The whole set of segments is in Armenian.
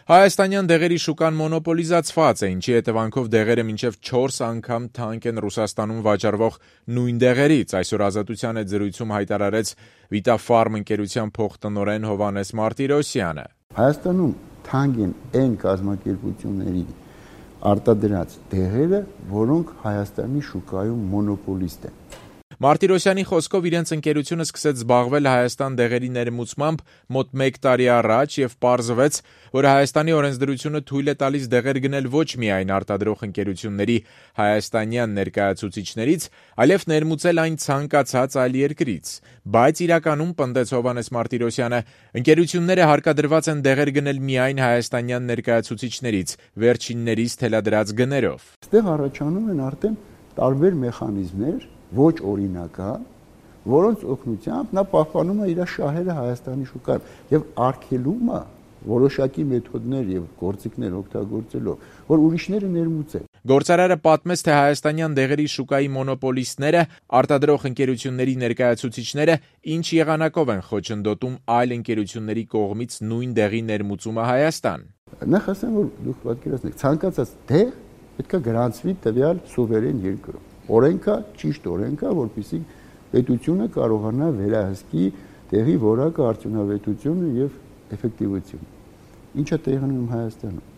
Հայաստանյան դեղերի շուկան մոնոպոլիզացված է, ինչի հետևանքով դեղերը մինչև 4 անգամ թանկ են Ռուսաստանում վաճառվող նույն դեղերից, այսօր Ազատության հետ զրույցում հայտարարեց Vitafarm ընկերության փոխտնօրեն Հովհաննես Մարտիրոսյանը։ Հայաստանում թանկ են այն կազմակերպությունների արտադրած դեղերը, որոնք Հայաստանի շուկայում մոնոպոլիստ են։ Մարտիրոսյանի խոսքով իրենց ընկերությունը սկսեց զբաղվել Հայաստան դեղերի ներմուծմամբ մոտ 1 տարի առաջ եւ պարզվեց, որ Հայաստանի օրենսդրությունը թույլ է տալիս դեղեր գնել ոչ միայն արտադրող ընկերությունների հայաստանյան ներկայացուցիչներից, այլև ներմուծել այն ցանկացած այլ երկրից։ Բայց իրականում, պնդեց Հովհաննես Մարտիրոսյանը, ընկերությունները հարկադրված են դեղեր գնել միայն հայաստանյան ներկայացուցիչներից, վերջիններից թելադրած գներով։ Այստեղ առաջանում են արդեն տարբեր մեխանիզմներ, ոչ օրինական, որոնց օգնությամբ նա պահպանում է իր շահերը Հայաստանի շուկայում եւ արգելում է որոշակի մեթոդներ եւ գործիքներ օգտագործելով, որ ուրիշները ներմուծեն։ Գործարարը պատմեց, թե հայաստանյան դեղերի շուկայի մոնոպոլիստները, արտադրող ընկերությունների ներկայացուցիչները ինչ եղանակով են խոչընդոտում այլ ընկերությունների կողմից նույն դեղի ներմուծումը Հայաստան։ Նախ ասեմ, որ դուք պատկերացնեք, ցանկացած դեղ պետք է գրանցվի տվյալ սուվերեն երկրում։ Օրենքա, ճիշտ օրենքա, որպեսզի պետությունը կարողանա վերահսկի տեղի որակը, արդյունավետությունը եւ էֆեկտիվությունը։ Ինչը տեղի ունի Հայաստանում։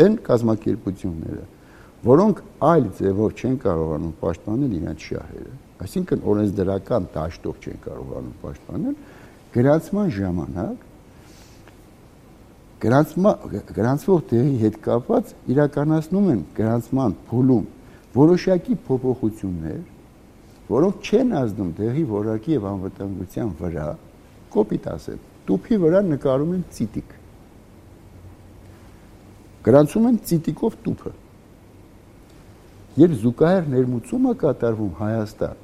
Այն կազմակերպությունները, որոնք այլ ձևով չեն կարողանում պաշտպանել իրենց շահերը, այսինքն օրենսդրական դաշտով չեն կարողանում պաշտպանել, գրանցման ժամանակ գրանցվող տեղի հետ կապված իրականացնում են գրանցման փուլում որոշակի փոփոխություններ, որոնք չեն ազդում դեղի որակի եւ անվտանգության վրա, կոպիտ ասեմ, տուփի վրա նկարում են ծիտիկ։ Գրանցում են ծիտիկով տուփը։ Երբ զուգահեռ ներմուծումը կատարվում Հայաստան,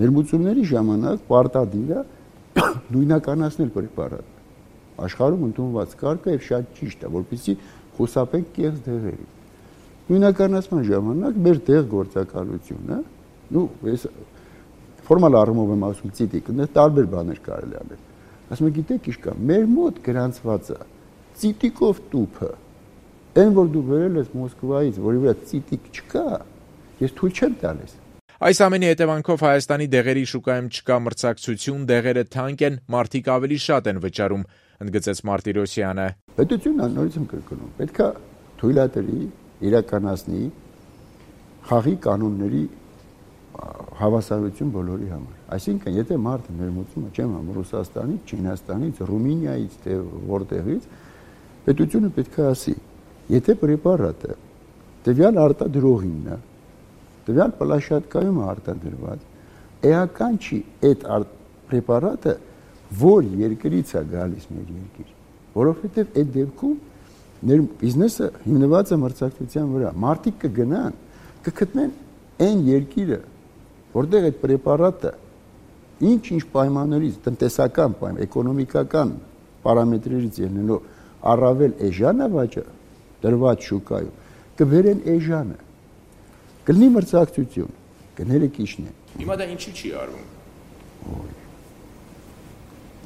ներմուծումների ժամանակ պարտադիր է նույնականացնել պրեպարատը։ Աշխարհում ընդունված կարգը եւ շատ ճիշտ է, որպեսզի խուսափենք կեղծ դեղերի։ Նույնականացման ժամանակ մեր դեղ գործակալությունը, ես ֆորմալ առումով եմ ասում ծիտիկ, այնտեղ տարբեր բաներ կարելի անել։ Ասում եմ, գիտեք ինչ կա, մեր մոտ գրանցված է ծիտիկով տուփը, այն որ դու վերել ես Մոսկվայից, որի վրա ծիտիկ չկա, ես թույլ չեմ տալիս։ Այս ամենի հետևանքով Հայաստանի դեղերի շուկայում չկա մրցակցություն, դեղերը թանկ են, մարդիկ ավելի շատ են վճարում, ընդգծեց Մարտիրոսյանը։ Պետությունը նորից եմ կրկնում, պետք է թույլատրի իրականացնի խաղի կանոնների հավասարություն բոլորի համար։ Այսինքն, եթե մարդը ներմուծում է, չեմ համ Ռուսաստանից, Չինաստանից, Ռումինիայից, թե որտեղից, պետությունը պետք է ասի, եթե պրեպարատը տվյալ արտադրողինն է, տվյալ պլաշատկայում է արտադրված, էական չի այդ պրեպարատը որ երկրից է գալիս մեր երկիր, որովհետև այդ դեպքում բիզնեսը հիմնված է մրցակցության վրա։ Մարդիկ կգնան, կգտնեն այն երկիրը, որտեղ այդ պրեպարատը ինչ պայմաններից, տնտեսական պայման, էկոնոմիկական պարամետրերից ելնելով առավել էժան է դրված շուկայում, կբերեն էժանը։ Կլինի մրցակցություն, գները քիչն են։ Հիմա դա ինչի չի արվում։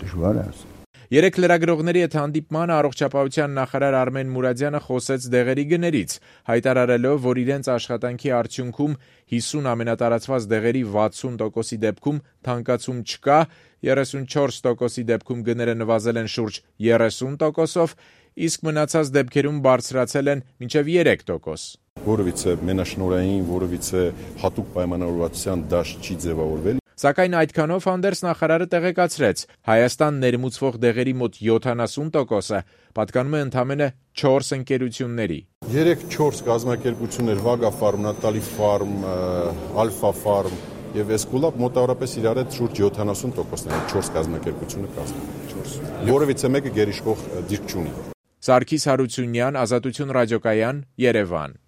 Դժվար է ասել։ Երեք լրագրողների հետ հանդիպմանը առողջապահության նախարար Արմեն Մուրադյանը խոսեց դեղերի գներից, հայտարարելով, որ իրենց աշխատանքի արդյունքում 50 ամենատարածված դեղերի 60%-ի դեպքում թանկացում չկա, 34%-ի դեպքում գները նվազել են շուրջ 30%-ով, իսկ մնացած դեպքերում բարձրացել են մինչև 3%։ Որովհետև մենաշնորհային, որովհետև հատուկ պայմանավորվածության դաշտ չի ձևավորվել։ Սակայն այդքանով հանդերձ նախարարը տեղեկացրեց, Հայաստան ներմուծվող դեղերի մոտ 70%-ը պատկանում է ընդամենը 4 ընկերությունների։ 3-4 կազմակերպություններ՝ Վագա Ֆարմ, Նատալի Ֆարմ, Ալֆա Ֆարմ եւ Էսկուլապ մոտավորապես իրար հետ շուրջ 70%-ն են 4 կազմակերպությունը կազմում։ Որովհետև մեկը գերիշխող դիրք չունի։ Սարգիս Հարությունյան, Ազատություն ռադիոկայան, Երևան։